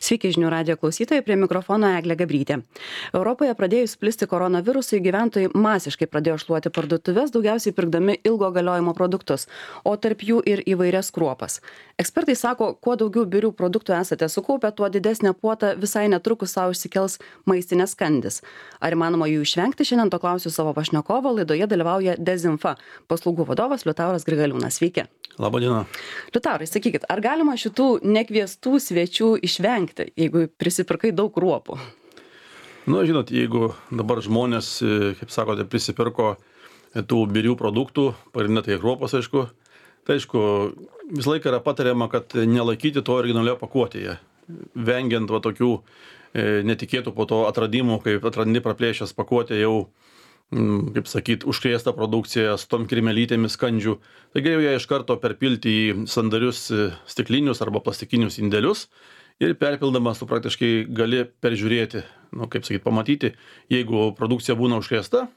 Sveiki žinių radijo klausytojai, prie mikrofono Eglė Gabrytė. Europoje pradėjus plisti koronavirusui, gyventojai masiškai pradėjo šluoti parduotuves, daugiausiai pirkdami ilgo galiojimo produktus, o tarp jų ir įvairias kruopas. Ekspertai sako, kuo daugiau birių produktų esate sukaupę, tuo didesnę puotą visai netrukus savo išsikels maistinės skandis. Ar įmanoma jų išvengti? Šiandien to klausiu savo pašnekovo, laidoje dalyvauja Dezinfa paslaugų vadovas Liutauras Grigaliūnas. Sveiki. Labadiena. Liutaurai, sakykit, ar galima šitų nekviestų svečių išvengti, jeigu prisipirkai daug kruopų? Nu, žinot, jeigu dabar žmonės, kaip sakote, prisipirko tų birių produktų, pagrindinė tai kruopos, aišku, tai aišku, visą laiką yra patariama, kad nelaikyti to originalioje pakuotėje, vengiant va tokių netikėtų po to atradimų, kaip atrandi praplėšęs pakuotę jau, kaip sakyt, užkrėsta produkcija su tom kirmelytėmis skandžių. Tai geriau ją iš karto perpilti į sandarius stiklinius arba plastikinius indelius ir perpildamas tu praktiškai gali peržiūrėti, kaip sakyt, pamatyti, jeigu produkcija būna užkrėsta,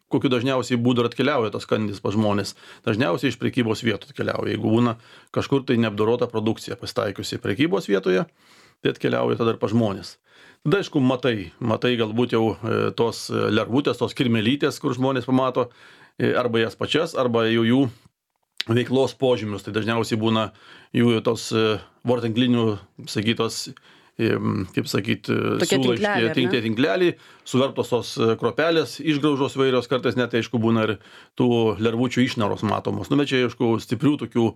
kokiu dažniausiai būdu atkeliauja tas skandis pas žmonės. Dažniausiai iš prekybos vietų atkeliauja. Jeigu būna kažkur tai neapdorota produkcija pasitaikiusi prekybos vietoje, tai atkeliauja tada ir pas žmonės. Tada, aišku, matai galbūt jau tos lervutės, tos kirmelytės, kur žmonės pamato, arba jas pačias, arba jau jų veiklos požymius. Tai dažniausiai būna jų tos vortinklinių, sakytos, kaip sakyti, siūlai tinkleliai, suvertos tos kruopelės, išgraužos vairios, kartais net, aišku, būna ir tų lervučių išnaros matomos. Bet čia, aišku, stiprių tokių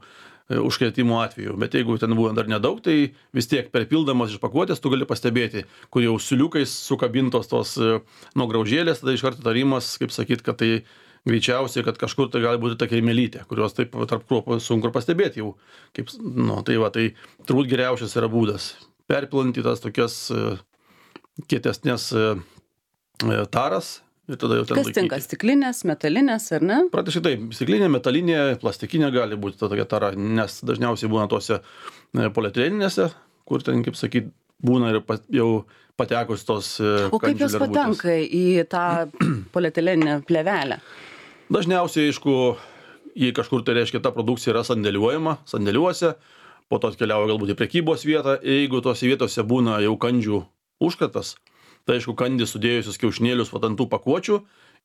užkrėtimo atveju. Bet jeigu ten buvo dar nedaug, tai vis tiek perpildamas iš pakuotės tu gali pastebėti, kur jau siuliukais sukabintos tos nuograužėlės, tada iš karto tarimas, kaip sakyt, kad tai greičiausiai, kad kažkur tai gali būti ta kirmelytė, kurios taip tarp kruopų sunku pastebėti jau. Tai turbūt geriausias yra būdas perpilanti tas tokias kietesnės taras. Ir tada jau ten kas tinka, stiklinės, metalinės, ar ne? Praktiškai taip, stiklinė, metalinė, plastikinė gali būti ta tokia tara, nes dažniausiai būna tose polietileninėse, kur ten, kaip sakyt, būna ir jau patekus tos o kaip jos patenka į tą polietileninę plėvelę? Dažniausiai, aišku, jei kažkur tai reiškia, ta produkcija yra sandėliuojama, sandėliuose, po to atkeliauja galbūt į prekybos vietą, jeigu tose vietose būna jau kandžių užkratas, tai aišku, kandį sudėjusius kiaušinėlius ant tų pakuočių,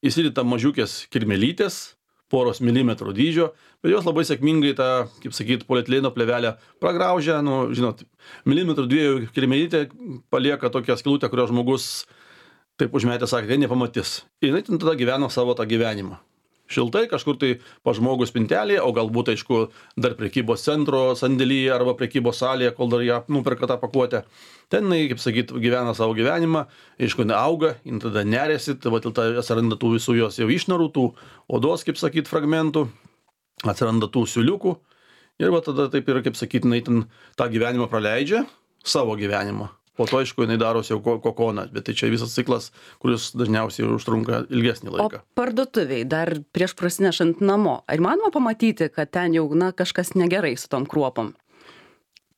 įsideda mažiukės kirmelytės, poros milimetrų dydžio, bet jos labai sėkmingai tą, kaip sakyt, polietileno plėvelę pragraužia, žinot, milimetrų dviejų kirmelytė palieka tokią skylutę, kurios žmogus taip užmetė, sakė, nepamatys. Ir jinai tada gyvena savo tą gyvenimą. Šiltai kažkur tai pa žmogus spintelėje, o galbūt, aišku, dar prekybos centro sandėlyje arba prekybos salėje, kol dar ją nuperka tą pakuotę. Ten, kaip sakyt, gyvena savo gyvenimą, aišku, neauga, jin tada nerėsi, tada atsiranda tų visų jos jau išnarų, tų odos, kaip sakyt, fragmentų, atsiranda tų siuliukų ir tada taip ir, kaip sakyt, jinai ten tą gyvenimą praleidžia, savo gyvenimą. Po to, aišku, jinai darosi jau kokoną, bet tai čia visas ciklas, kuris dažniausiai užtrunka ilgesnį laiką. O parduotuviai dar prieš prasinešant namo, ar įmanoma pamatyti, kad ten jau kažkas negerai su tom kruopom?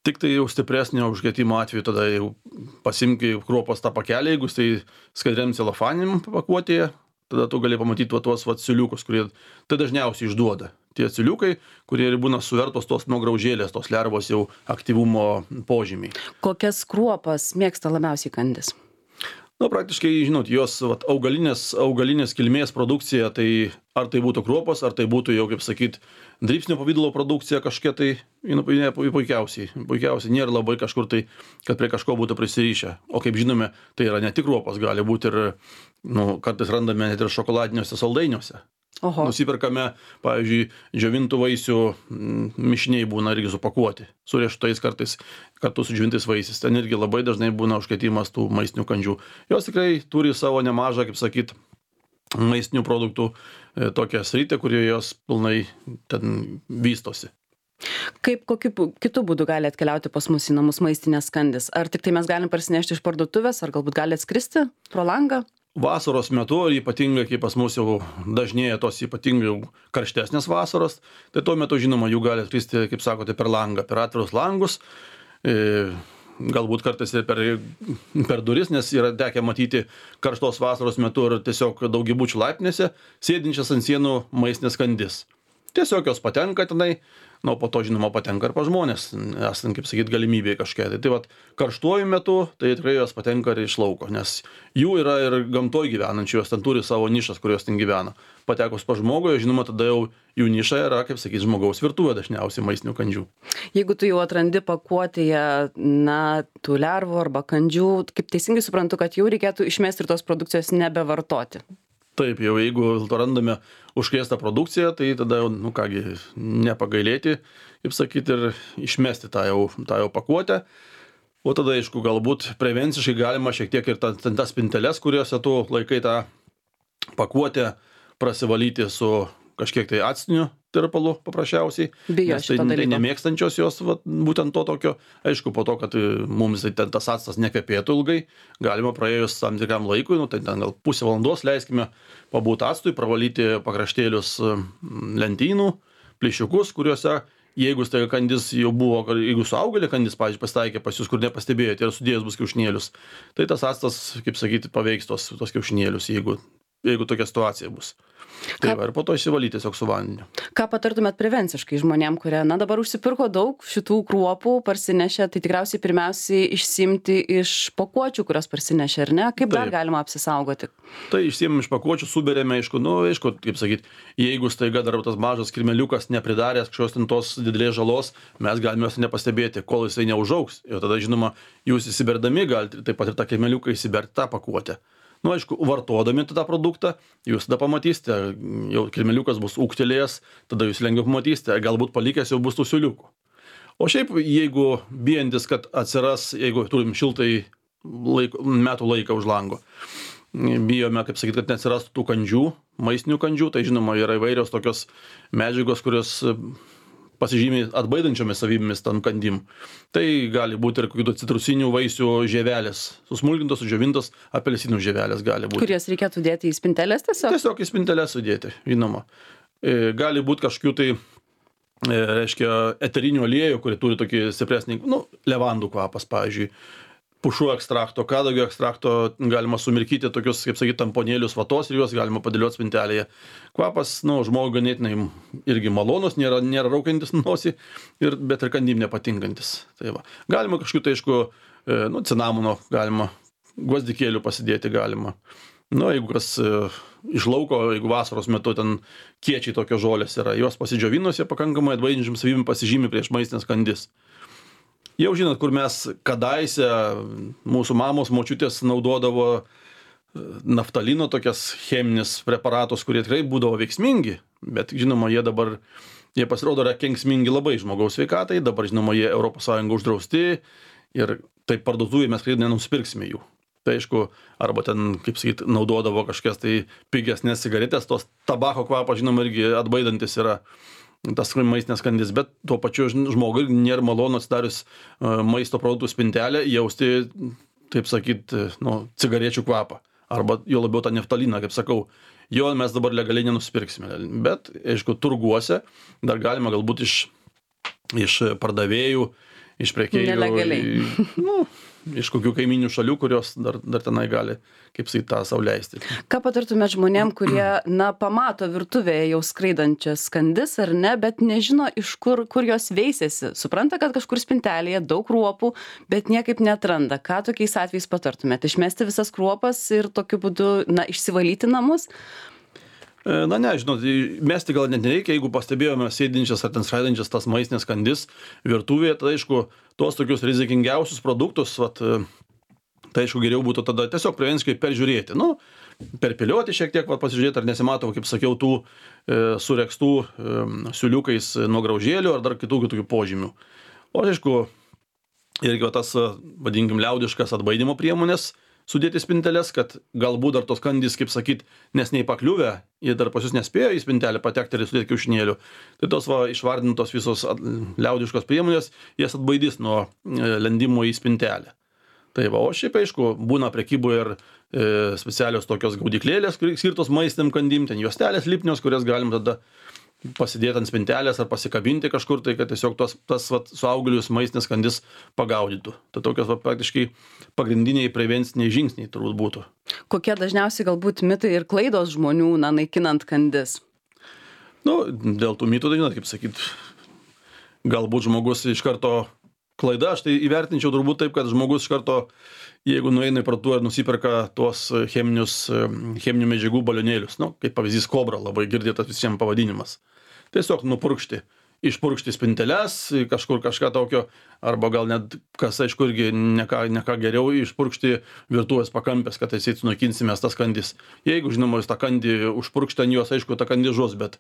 Tik tai jau stipresnio užkrėtimo atveju tada jau pasimki kruopos tą pakelį, jeigu tai skaidriam celofanim pakuotėje, tada tu gali pamatyti tuos siuliukus, kurie tai dažniausiai išduoda. Tie siuliukai, kurie būna suvertos tos nuograužėlės, tos lervos jau aktyvumo požymiai. Kokias kruopas mėgsta labiausiai kandis? Praktiškai, žinot, jos augalinės kilmės produkcija, tai ar tai būtų kruopos, ar tai būtų jau, kaip sakyt, dribsnio pavidalo produkcija kažkokia, tai puikiausiai nėra labai kažkur tai, kad prie kažko būtų prisirišę. O kaip žinome, tai yra ne tik kruopos, gali būti ir, kartais randame net ir šokoladiniuose saldainiuose. Oho. Nusipirkame, pavyzdžiui, džiovintų vaisių mišiniai būna irgi supakuoti, su riešutais kartais kartu su džiovintais vaisiais. Ten irgi labai dažnai būna užkrėtimas tų maistinių kandžių. Jos tikrai turi savo nemažą, kaip sakyt, maistinių produktų tokią sritį, kurioje jos pilnai ten vystosi. Kaip kokiu kitų būdų gali atkeliauti pas mus į namus maistinės skandis? Ar tik tai mes galim parsinešti iš parduotuvės, ar galbūt gali atskristi pro langą? Vasaros metu, ypatingai, kai pas mus jau dažnėja tos ypatingai karštesnės vasaros, tai tuo metu, žinoma, jų gali atskristi, kaip sakote, per langą, per atvirus langus, galbūt kartais ir per duris, nes yra tekę matyti karštos vasaros metu ir tiesiog daugiabučių laiptinėse sėdinčias ant sienų maistinės skandis. tiesiog jos patenka tenai, nu, po to, žinoma, patenka ir pas žmonės, esant, kaip sakyt, galimybėje kažkiek. Tai vat, karštuoju metu, tai tikrai jos patenka ir iš lauko, nes jų yra ir gamtoj gyvenančių, jos ten turi savo nišas, kurios ten gyvena. Patekus pas žmogų, žinoma, tada jau jų niša yra, kaip sakyt, žmogaus virtuvė dažniausiai maistinių kandžių. Jeigu tu jau atrandi pakuotėje, na, tų lervų arba kandžių, kaip teisingai suprantu, kad jau reikėtų išmesti ir tos produkcijos nebevartoti. Taip, jau jeigu randame užkrėstą produkciją, tai tada jau, nu kągi, nepagailėti, kaip sakyti, ir išmesti tą jau pakuotę. O tada, aišku, galbūt prevenciškai galima šiek tiek ir tas spinteles, kuriuose tu laikai tą pakuotę, prasivalyti su kažkiek tai actiniu tirpalu paprasčiausiai. Bijo nes tai šito dalyko. nemėgstančios jos, būtent to tokio. Aišku, po to, kad mums ten tas actas nekvepėtų ilgai, galima praėjus tam tikram laikui, nu, tai ten gal pusę valandos leiskime pabūti actui, pravalyti pakraštėlius lentynų, plyšiukus, kuriuose, jeigu tai kandis jau buvo, jeigu suaugėlė kandis, pavyzdžiui, pasitaikė pas jūs, kur nepastebėjote ir sudėjus bus kiaušinėlius, tai tas actas, kaip sakyti, paveiks tos kiaušinėlius, jeigu tokia situacija bus. Tai va, ir po to išsivalyti tiesiog su vandeniu. Ką patartumėt prevenciškai žmonėm, kurie, na, dabar užsipirko daug šitų kruopų, parsinešė, tai tikriausiai pirmiausiai išsimti iš pakuočių, kurios parsinešė, ar ne? Kaip dar galima apsisaugoti? Tai išsiėmėm iš pakuočių, suberėme, aišku, kaip sakyt, jeigu staiga dar tas mažas kirmeliukas nepridaręs kažkokios ten tos didelės žalos, mes galime jos nepastebėti, kol jisai neužaugs. Ir tada, žinoma, jūs įsiberdami galite taip pat ir tą kirmeliuką įsiberti tą pakuotę. Nu, aišku, vartodami tą produktą, jūs tada pamatysite, jau kirmeliukas bus ūgtelėjęs, tada jūs lengviau pamatysite, galbūt palikęs jau bus tų siūliukų. O šiaip, jeigu bijantis, kad atsiras, jeigu turim šiltai metų laiką už lango, bijome, kaip sakyti, kad neatsirastų tų kandžių, maistinių kandžių, tai žinoma, yra įvairios tokios medžiagos, kurios pasižymi atbaidančiomis savybėmis tam kandim. Tai gali būti ir kokių citrusinių vaisių žievelės, susmulkintos, sudžiovintos apelsinų žievelės gali būti. Kur jas reikėtų dėti į spinteles tiesiog? Tiesiog į spinteles sudėti, žinoma. Gali būti kažkokių tai, reiškia, eterinių aliejų, kurie turi tokį stipresnį, nu, levandų kvapas, pavyzdžiui, pušų ekstrakto, kadagio ekstrakto, galima sumirkyti tokius, kaip sakyti, tamponėlius vatos ir juos galima padėlioti spintelėje. Kvapas, nu, žmogui ganėtinai irgi malonus, nėra raukiantis nosį, bet ir kandim nepatinkantis. Tai va. Galima kažkokiu, tai aišku, nu, cinamono galima, gvazdikėlių pasidėti galima. Nu, jeigu kas iš lauko, jeigu vasaros metu ten kiečiai tokios žolės yra, jos pasidžiovinus, jie pakankamai atbaidinčiam savybėm pasižymi prieš maistinės kandis. Jau žinot, kur mes kadaise, mūsų mamos, močiutės naudodavo naftalino tokias cheminius preparatus, kurie tikrai būdavo veiksmingi, bet žinoma, jie pasirodo yra kenksmingi labai žmogaus sveikatai, dabar žinoma, jie ES uždrausti ir taip parduotuvėje mes tikrai nenusipirksime jų. Tai aišku, arba ten, kaip sakyt, naudodavo kažkokias tai pigesnės cigaretės, tos tabako kvapas, žinoma, irgi atbaidantis yra tas maistinės kandis, bet tuo pačiu žmogui nėra malonu atsidarius maisto produktų spintelę jausti, taip sakyt, nu, cigarečių kvapą. Arba jo labiau tą naftaliną, kaip sakau, jo mes dabar legaliai nenusipirksime. Bet, aišku, turguose dar galima galbūt iš pardavėjų, iš prekėjų. Nelegaliai. Nu, iš kokių kaiminių šalių, kurios dar tenai gali, kaip sakyt, tą sau leisti. Ką patartumėt žmonėm, kurie, na, pamato virtuvėje jau skraidančias kandis ar ne, bet nežino, iš kur jos veisėsi. Supranta, kad kažkur spintelėje daug kruopų, bet niekaip neatranda. Ką tokiais atvejais patartumėt? Išmesti visas kruopas ir tokiu būdu, na, išsivalyti namus? Na ne, žinot, mesti gal net nereikia, jeigu pastebėjome sėdinčias ar ten skraidančias tas maistinės kandis virtuvėje, tai aišku, tuos tokius rizikingiausius produktus, tai aišku, geriau būtų tada tiesiog prevenciškai peržiūrėti. Nu, perpilioti šiek tiek, pasižiūrėti, ar nesimato, kaip sakiau, tų surekstų siūliukais nuo graužėlių ar dar kitų požymių. O aišku, irgi tas, vadinkim, liaudiškas atbaidymo priemonės sudėti spinteles, kad galbūt dar tos kandys, kaip sakyt, nes neįpakliuvę, jie dar pas jūs nespėjo į spintelę patekti ir sudėti kiaušinėlių. Tai tos išvardintos visos liaudiškos priemonės, jas atbaidys nuo lendimo į spintelę. Tai va, o šiaip aišku, būna prekyboje ir specialios tokios gaudyklėlės, skirtos maistiniam kandim, ten juostelės lipnios, kurias galim tada pasidėti ant spintelės ar pasikabinti kažkur, tai kad tiesiog tas suaugėlius maistinės kandis pagaudytų. Tai tokios praktiškai pagrindiniai prevenciniai žingsniai turbūt būtų. Kokie dažniausiai galbūt mitai ir klaidos žmonių, na, naikinant kandis? Nu, dėl tų mitų, tai žinot, kaip sakyt, galbūt žmogus iš karto klaida, aš tai įvertinčiau turbūt taip, kad žmogus iš karto, jeigu nueina į parduotuvę ir nusiperka tuos cheminių medžiagų balionėlius, nu, kaip pavyzdys Kobra, labai girdėtas visiems pavadinimas. Tiesiog išpurkšti spinteles, kažkur kažką tokio, arba gal net, kas aišku, irgi ne ką geriau, išpurkšti virtuvės pakampės, kad atseit sunaikinsime tas kandis. Jeigu, žinoma, jūs tą kandį užpurkšti ant jos, aišku, tą kandį žus, bet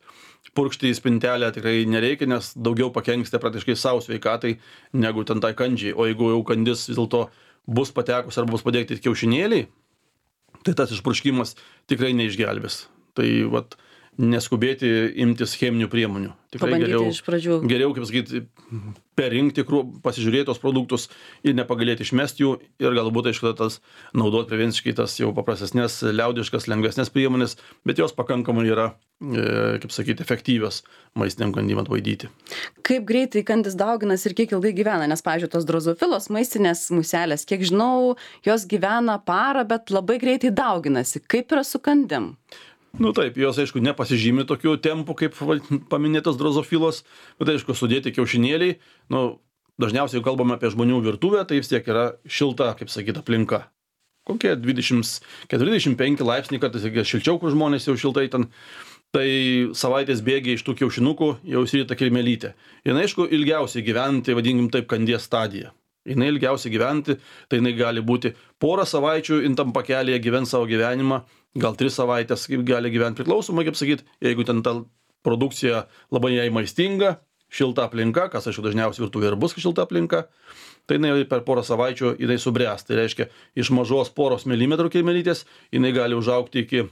purkšti į spintelę tikrai nereikia, nes daugiau pakenksite praktiškai savo sveikatai, negu ten tai kandžiai. O jeigu jau kandis vis dėlto bus patekus arba bus padėkti kiaušinėliai, tai tas išpurškimas tikrai neišgelbės. Tai vat, neskubėti imtis cheminių priemonių. Tikrai geriau, kaip sakyti, perrinkti, pasižiūrėti tos produktus ir nepagalėti išmesti jų ir galbūt, aišku, tas naudoti prevenciškai tas jau paprastesnės, liaudiškas, lengvesnės priemonės, bet jos pakankamai yra, kaip sakyti, efektyvios maistiniam kandym atbaidyti. Kaip greitai kandis dauginas ir kiek ilgai gyvena? Nes, pavyzdžiui, tos drozofilos maistinės muselės, kiek žinau, jos gyvena parą, bet labai greitai dauginasi. Kaip yra su kandim? Nu taip, jos, aišku, nepasižymi tokių tempų, kaip paminėtos drozofilos, bet, aišku, sudėti kiaušinėliai, nu, dažniausiai, jau kalbame apie žmonių virtuvę, tai vis tiek yra šilta, kaip sakyt, aplinka. Kokie 20-25 laipsniai, kartais šilčiau, kur žmonės jau šiltai ten, tai savaitės bėgiai iš tų kiaušinukų jau įsirita kirmelytė. Ir, aišku, ilgiausiai gyventi, vadinkim taip, kandies stadija. Jinai ilgiausiai gyventi, tai jinai gali būti porą savaičių, tam pakelėje gyvent savo gyvenimą, gal 3 savaitės kaip gali gyventi priklausomai, kaip sakyt, jeigu ten ta produkcija labai jai maistinga, šilta aplinka, kas aišku dažniausiai virtuvė ir bus šilta aplinka, tai jinai per porą savaičių jinai subręs. Tai reiškia, iš mažos poros milimetrų kirmelytės jinai gali užaugti iki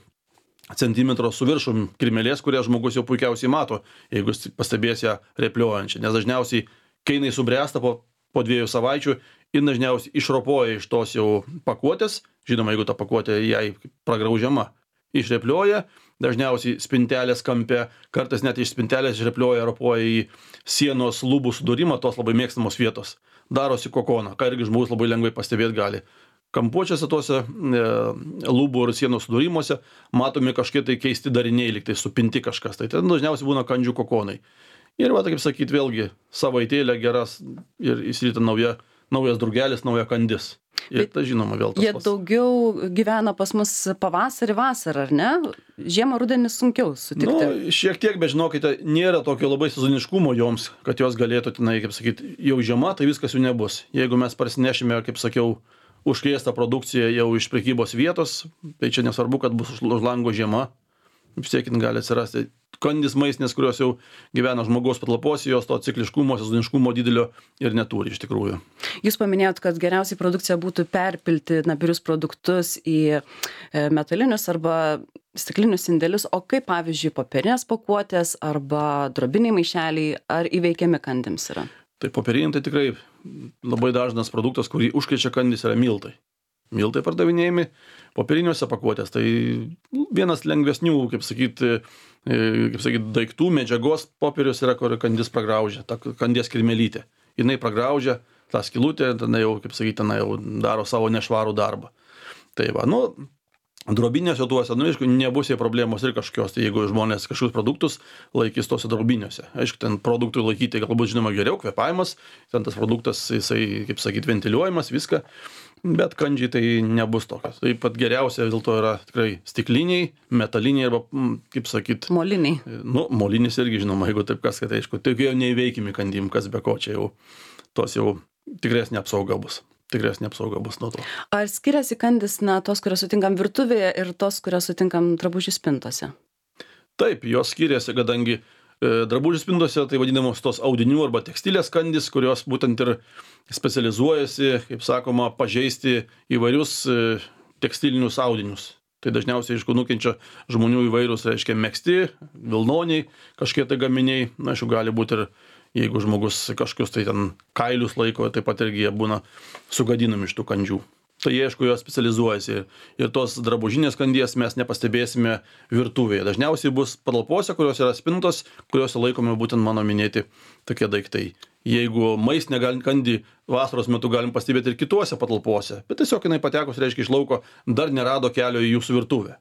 centimetro su viršum kirmelės, kurią žmogus jau puikiausiai mato, jeigu pastebės ją repliojančią. Nes dažniausiai, kai jinai subręsta po 2 savaičių, ir dažniausiai išropoja iš tos jau pakuotės, žinoma, jeigu ta pakuotė jai pragraužiama, išreplioja, dažniausiai spintelės kampe, kartais net iš spintelės išreplioja, ropoja į sienos lubų sudūrimą, tos labai mėgstamos vietos. Darosi kokoną, ką irgi žmogus labai lengvai pastebėti gali. Kampuočiuose tuose lubų ir sienos sudūrimuose matomi kažkiek tai keisti dariniai, lyg tai supinti kažkas, tai ten dažniausiai būna kandžių kokonai. Ir va, kaip sakyti, vėlgi savaitėlė geras ir įsirita naujas drugelis, nauja kandis. Ir tai žinoma vėl tas jie pats. Daugiau gyvena pas mus pavasarį, vasarą, ar ne? Žiemą, rudenį sunkiau sutikti. Nu, šiek tiek, bet žinokite, nėra tokio labai sezoniškumo joms, kad jos galėtų, kaip sakyti, jau žiema, tai viskas jų nebus. Jeigu mes parsinešime, kaip sakiau, užkrėstą produkciją jau iš prekybos vietos, tai čia nesvarbu, kad bus už lango žiema, vis tiek gali atsirasti kandys maistinės, kurios jau gyvena žmogaus patalpose, jos to cikliškumo, sezoniškumo didelio ir neturi iš tikrųjų. Jūs paminėjot, kad geriausiai produkcija būtų perpilti birius produktus į metalinius arba stiklinius indelius, o kaip, pavyzdžiui, popierinės pakuotės arba drobiniai maišeliai, ar įveikiami kandims yra? Tai popieriniai tai tikrai labai dažnas produktas, kurį užkrečia kandys, yra miltai. Miltai pardavinėjami popieriniuose pakuotės. Tai vienas lengvesnių, kaip sakyti, daiktų, medžiagos popierius yra, kur kandis pragraužia, ta kandies kirmelytė. Jinai pragraužia tą skylutę, tada jau, kaip sakyti, jau daro savo nešvarų darbą. Tai va, drobiniuose tuose, aišku, nebus jie problemos ir kažkokios, tai jeigu žmonės kažkokius produktus laikys tose drobiniuose. Aišku, ten produktui laikyti galbūt žinoma geriau, kvėpavimas, ten tas produktas, jisai, kaip sakyti, ventiliuojamas, viską, bet kandžiai tai nebus tokios. Taip pat geriausia vis dėlto yra tikrai stikliniai, metaliniai arba, kaip sakyti, moliniai. Molinis irgi žinoma, jeigu taip kas, kad aišku, tai jau neįveikimi kandim, kas be ko, čia jau tos jau tikresnė apsauga bus. Tikresnė apsauga bus nuo to. Ar skiriasi kandys, tos, kurias sutinkam virtuvėje ir tos, kurias sutinkam drabužių spintose? Taip, jos skiriasi, kadangi drabužių spintose tai vadinamos tos audinių arba tekstilės kandys, kurios būtent ir specializuojasi, kaip sakoma, pažeisti įvairius tekstilinius audinius. Tai dažniausiai, aišku, nukenčia žmonių įvairūs, reiškia, megzti, vilnoniai, kažkiek tai gaminiai, aišku, gali būti ir jeigu žmogus kažkokius tai ten kailius laiko, taip pat irgi jie būna sugadinami iš tų kandžių. Tai aišku, jos specializuojasi ir tos drabužinės kandies mes nepastebėsime virtuvėje. Dažniausiai bus patalpose, kurios yra spintos, kuriuose laikomi būtent mano minėti tokie daiktai. Jeigu maistinę kandį vasaros metu galim pastebėti ir kituose patalpose, bet tiesiog jinai patekus, reiškia, iš lauko dar nerado kelio į jūsų virtuvę.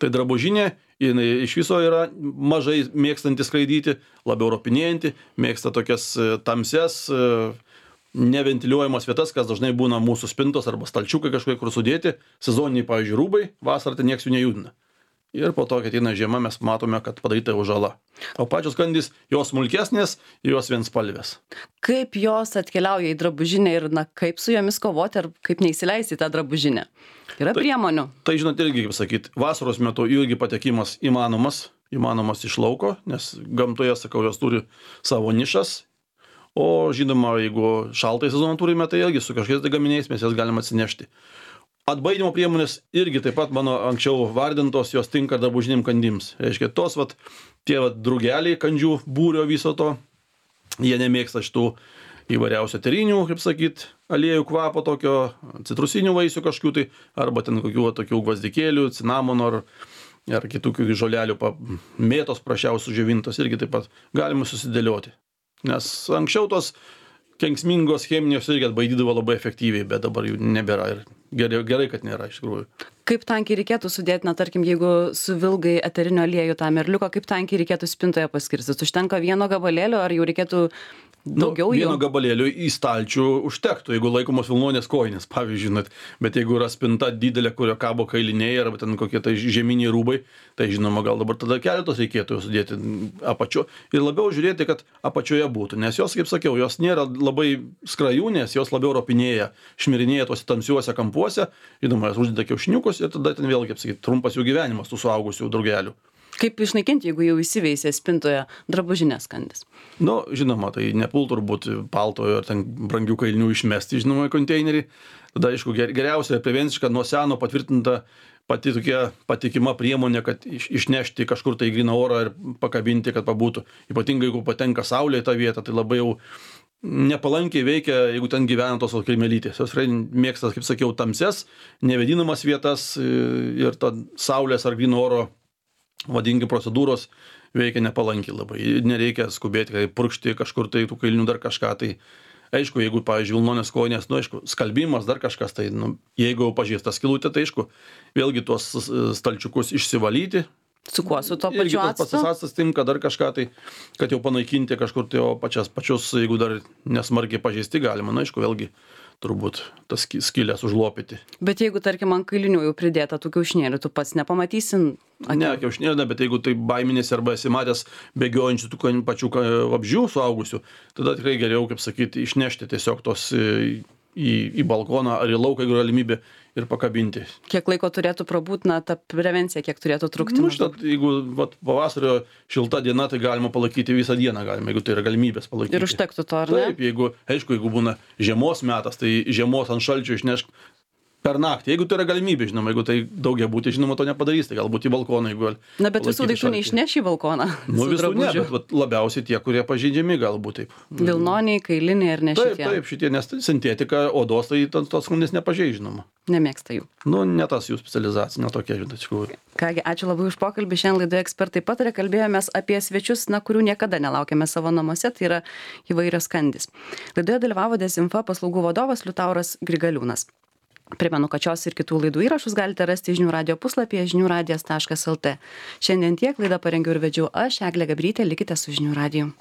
Tai drabužinė, jinai iš viso yra mažai mėgstanti skraidyti, labiau ropinėjanti, mėgsta tokias tamsias, neventiliuojamas vietas, kas dažnai būna mūsų spintos arba stalčiukai kažkokie, kur sudėti, sezoniniai, pavyzdžiui, rūbai, vasarą tai nieks jų nejudina. Ir po to, kai ateina žiema, mes matome, kad padaryta jau žala. O pačios kandys, jos smulkesnės, jos vienspalvės. Kaip jos atkeliauja į drabužinę ir kaip su jomis kovoti, ar kaip neįsileisti tą drabužinę? Yra priemonių. Tai žinot, irgi, kaip sakyt, vasaros metu irgi patekimas įmanomas iš lauko, nes gamtoje, sakau, jos turi savo nišas. O žinoma, jeigu šaltą sezoną turime, tai irgi su kažkokiais gaminiais mes jas galime atsinešti. Atbaidymo priemonės irgi taip pat mano anksčiau vardintos, jos tinka drabužinėm kandims. Reiškia, tie drugeliai kandžių būrio viso to, jie nemėgsta šitų įvairiausių eterinių, kaip sakyt, aliejų kvapo tokio, citrusinių vaisių kažkokių tai, arba ten kokių tokių gvazdikėlių, cinamono ar kitų žolelių, mėtos prašiausių džiovintos irgi taip pat galima susidėlioti. Nes anksčiau tos kenksmingos cheminės irgi atbaidydavo labai efektyviai, bet dabar jų nebėra ir gerai, kad nėra iš tikrųjų. Kaip tankiai reikėtų sudėti, tarkim, jeigu suvilgai eterinio aliejų tą merliuką, kaip tankiai reikėtų spintoje paskirstyti? Užtenka vieno gabalėlio, ar jau reikėtų daugiau jų? Vieno gabalėlio į stalčių užtektų, jeigu laikomos vilnonės kojinės, pavyzdžiui, bet jeigu yra spinta didelė, kurio kabo kailiniai arba ten kokie tai žieminiai rūbai, tai žinoma, gal dabar tada keletos reikėtų sudėti apačio ir labiau žiūrėti, kad apačioje būtų, nes jos, kaip sakiau, jos nėra labai skrajūnės, jos labiau ropinėja, šmirinėja tuose tamsiuose kampuose, žinoma, jos uždeda kiaušiniukus ir tada ten vėl, kaip sakyt, trumpas jų gyvenimas tų suaugusių drugelių. Kaip išnaikinti, jeigu jau įsiveisė spintoje drabužinės kandys? Žinoma, tai nepultų turbūt paltojo ar ten brangių kailinių išmesti, žinoma, į konteinerį. Tada, aišku, geriausia prevenciška nuo seno patvirtinta pati tokia patikima priemonė, kad išnešti kažkur tai gryną orą ir pakabinti, kad pabūtų. Ypatingai, jeigu patenka saulė į tą vietą, tai labai jau nepalankiai veikia, jeigu ten gyvena tos kirmelytės. Jos mėgsta, kaip sakiau, tamses, nevėdinamas vietas ir ta saulės ar gryno oro vadingi procedūros veikia nepalankiai labai. Nereikia skubėti, kai purkšti kažkur tai tų kailinių dar kažką. Tai aišku, jeigu, pavyzdžiui, vilnonės kojinės, aišku, skalbimas dar kažkas, tai jeigu jau pažįsta skylutė, tai aišku, vėlgi tuos stalčiukus išsivalyti. Su kuo? Su to pačiu actu? Tas actas tinka dar kažką, tai kad jau panaikinti kažkur tai, o pačius, jeigu dar nesmarkiai pažeisti galima, aišku, vėlgi turbūt tas skylės užlopyti. Bet jeigu, tarkim, ant kailinių jau pridėta tų kiaušinėlių, tu pats nepamatysi? Ne, kiaušinėlių, ne, bet jeigu tai baiminėsi arba esi matęs bėgiojančių tų pačių vabzdžių suaugusių, tada tikrai geriau, kaip sakyti, išnešti tiesiog tos į balkoną ar į lauką, jeigu galimybė, ir pakabinti. Kiek laiko turėtų prabūt, ta prevencija, kiek turėtų trukti? Jeigu pavasario šilta diena, tai galima palaikyti visą dieną, jeigu tai yra galimybės palaikyti. Ir užtektų to, ar ne? Taip, jeigu būna žiemos metas, tai žiemos ant šalčio išnešk per naktį. Jeigu tai yra galimybė, žinoma, jeigu tai daugiabutį, žinoma, to nepadarys, tai galbūt į balkoną, jeigu... Bet visų daiktų neišneši į balkoną. Visų ne, bet labiausiai tie, kurie pažeidžiami, galbūt taip. Vilnoniai, kailiniai ir ne šitie. Taip, šitie, nes sintetika odos, tai tos kundės nepažeidžia, žinoma. Nemėgsta jų. Ne tas jų specializacija, ne tokia, žinot. Kągi, ačiū labai už pokalbį. Šiandien laidoje Ekspertai pataria, kalbėjomės apie svečius, kurių niekada nelaukėme savo namuose, tai yra įvairios kandys. Laidoje dalyvavo Dezinfa paslaugų vadovas Liutauras Grigaliūnas. Primenu, kad šios ir kitų laidų įrašus galite rasti žinių radijo puslapyje žiniųradijas.lt. Šiandien tiek, laidą parengiau ir vedžiau aš, Eglė Gabrytė, likite su žinių radiju.